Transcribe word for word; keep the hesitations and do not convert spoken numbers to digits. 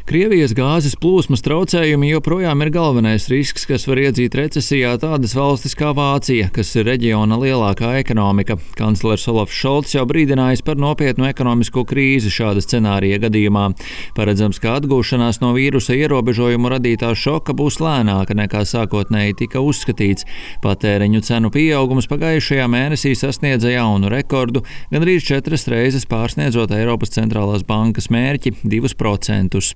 Krievijas gāzes plūsmas traucējumi joprojām ir galvenais risks, kas var iedzīt recesijā tādas valstis kā Vācija, kas ir reģiona lielākā ekonomika. Kanclers Olafs Šolts jau brīdinājis par nopietnu ekonomisko krīzi šāda scenārija gadījumā. Paredzams, ka atgūšanās no vīrusa ierobežojumu radītā šoka būs lēnāka nekā sākotnēji tika uzskatīts. Patēriņu cenu pieaugums pagājušajā mēnesī sasniedza jaunu rekordu, gandrīz četras reizes pārsniedzot Eiropas centrālās bankas mērķi divus procentus.